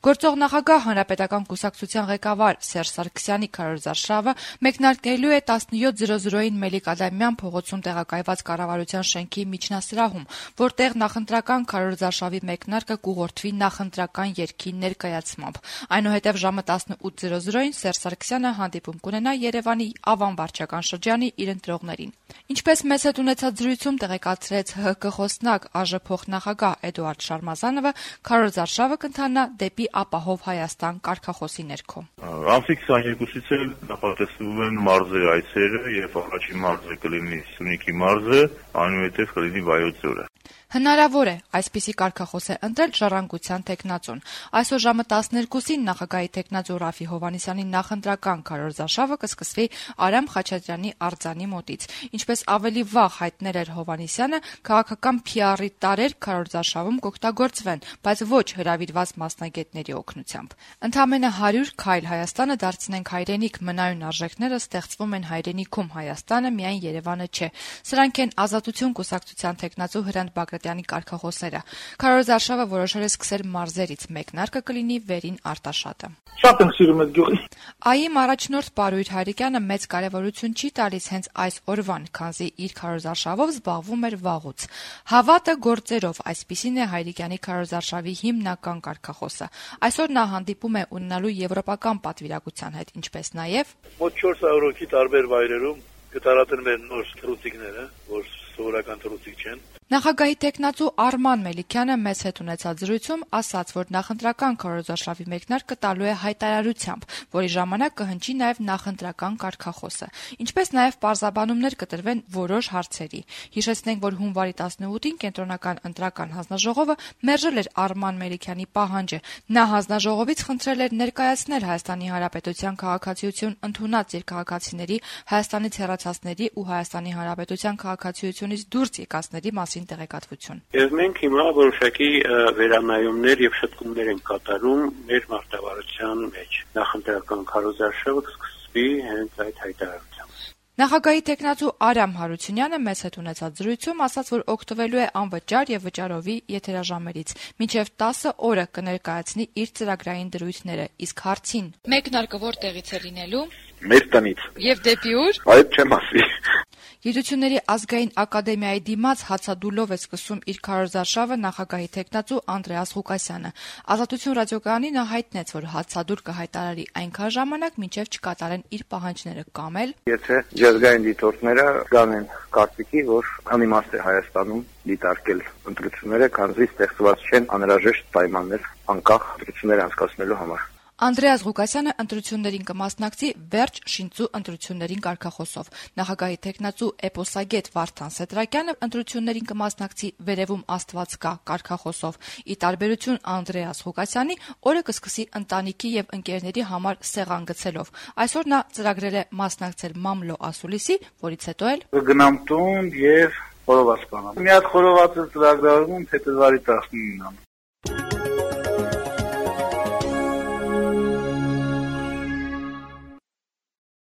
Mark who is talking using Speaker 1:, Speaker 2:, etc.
Speaker 1: Գործող նախագահ Հանրապետական կուսակցության ղեկավար Սերժ Սարգսյանի քարոզարշավը մեկնարկելու է 17:00-ին Մելիք-Ադամյան փողոցում տեղակայված կառավարության շենքի միջնասրահում, որտեղ նախընտրական քարոզարշավի մեկնարկը կուղղորդվի նախընտրական երգի ներկայացմամբ։ Այնուհետև ժամը 18:00-ին Սերժ Սարգսյանը հանդիպում կունենա Երևանի Ավան վարչական շրջանի իր ընտրողներին։ Ինչպես մեզ հետ ունեցած զրույցում տեղեկացրեց ՀՀԿ խոսնակ ԱԺ փոխնախագահ Էդուարդ Շարմազանովը, քարոզարշավը կընթանա դեպի ապահով Հայաստան կարգախոսի ներքո։
Speaker 2: Ամսի 22-ից էլ նախատեսվում են մարզերի այցերը եւ առաջին մարզը կլինի Սյունիքի մարզը, այնուհետեւ կլինի Վայոց ձորը։
Speaker 1: Հնարավոր է այսպիսի կարգախոս է ընտրել Ժառանգության թեկնածուն։ Այսօր ժամը 12-ին նախագահի թեկնածու Ռաֆի Հովհաննիսյանի նախընտրական քարոզարշավը կսկսվի Արամ Խաչատրյանի արձանի մոտից։ Ինչպես ավելի վաղ հայտնել էր Հովհաննիսյանը, քաղաքական PR-ի տարեր քարոզարշավում կօգտագործվեն, բայց ոչ հրավիրված մասնագետների օգնությամբ։ Ընդամենը 100 քայլ Հայաստանը դարձնենք հայրենիք մնայուն արժեքները ստեղծվում են հայրենիքում, Հայաստանը միայն Երևանը չէ։ Սրանք են Ազատություն կուսակցության թեկնածու Հրանտ Բագրատյանի կարգախոսները։ Քարոզարշավը որոշել է սկսել մարզերից, մեկնարկը կլինի Վերին Արտաշատը։
Speaker 3: Շատ եմ սիրում այդ գյուղի։
Speaker 1: ԱԻ-ի առաջնորդ Պարույր Հայրիկյանը մեծ կարևորություն չի տալիս հենց այս օրվան, քանզի իր քարոզարշավով զբաղվում էր վաղուց։ Հավատը գործերով, այսպիսին է Հայրիկյանի քարոզարշավի հիմնական կարգախոսը։ Այսօր նա հանդիպում է ունենալու եվրոպական պատվիրակության հետ, ինչպես նաև
Speaker 4: մոտ 400 հոգի տարբեր վայրերում կտարածեն մեր նոր թռուցիկները, որ սովորական թռուցիկ չեն։
Speaker 1: Նախագահի թեկնածու Արման Մելիքյանը մեզ հետ ունեցած զրույցում ասաց, որ նախընտրական քարոզարշավի մեկնարկը տալու է հայտարարությամբ, որի ժամանակ կհնչի նաև նախընտրական կարգախոսը, ինչպես նաև պարզաբանումներ կտրվեն որոշ հարցերի։ Հիշեցնենք, որ հունվարի 18-ին կենտրոնական ընտրական հանձնաժողովը մերժել էր Արման Մելիքյանի պահանջը։ Նա հանձնաժողովից խնդրել էր ներկայացնել Հայաստանի Հանրապետության քաղաքացիություն ընդունած երկհաղաքացիների, Հայաստանից հեռացածների ու Հայաստանի Հանրապետության քաղաքացիությունից դուրս եկածների մասին տեղեկատվություն։
Speaker 5: Եվ մենք հիմա որոշակի վերանայումներ եւ շտկումներ ենք կատարում մեր մարտավարության մեջ։ Նախընտրական քարոզարշավը կսկսվի հենց այդ հայտարարությամբ։
Speaker 1: Նախագահի թեկնածու Արամ Հարությունյանը մեզ հետ ունեցած զրույցում ասաց, որ օգտվելու է անվճար եւ վճարովի եթերաժամերից։ Մինչեւ 10 օրը կներկայացնի իր ծրագրային դրույթները, իսկ հարցին մեկնարկը որտեղից է լինելու։
Speaker 5: Մեր տնից։
Speaker 1: Եվ դեպի ուր։
Speaker 5: Այդ չեմ ասի։
Speaker 1: Գիտությունների ազգային ակադեմիայի դիմաց հացադուլով է սկսում իր քարոզարշավը նախագահի թեկնածու Անդրեաս Ղուկասյանը։ Ազատություն ռադիոկայանի նա հայտնեց, որ հացադուլ կհայտարարի այնքան ժամանակ, մինչև չկատարեն իր պահանջները կամ էլ
Speaker 5: Եթե ջազգային դիտորդները կանեն կարծիքի, որ անիմաստ է Հայաստանում դիտարկել ընտրությունները, քանզի ստեղծված չեն անհրաժեշտ պայմաններ անկախ ընտրություններ անցկացնելու համար։
Speaker 1: Անդրեաս Ղուկասյանը ընտրություններին կմասնակցի վերջ շինծու ընտրություններին կարգախոսով։ Նախագահի թեկնածու էպոսագետ Վարդան Սեդրակյանը ընտրություններին կմասնակցի վերևում Աստված կա կարգախոսով։ Ի տարբերություն Անդրեաս Ղուկասյանի, օրը կսկսի ընտանիքի եւ ընկերների համար սեղան գցելով։ Այսօր նա ծրագրել է մասնակցել մամլո ասուլիսի, որից հետո էլ
Speaker 3: Գնամ տուն եւ խորոված բանամ։ Մի հատ խորոված ծրագրարում փետրվարի 19-ին։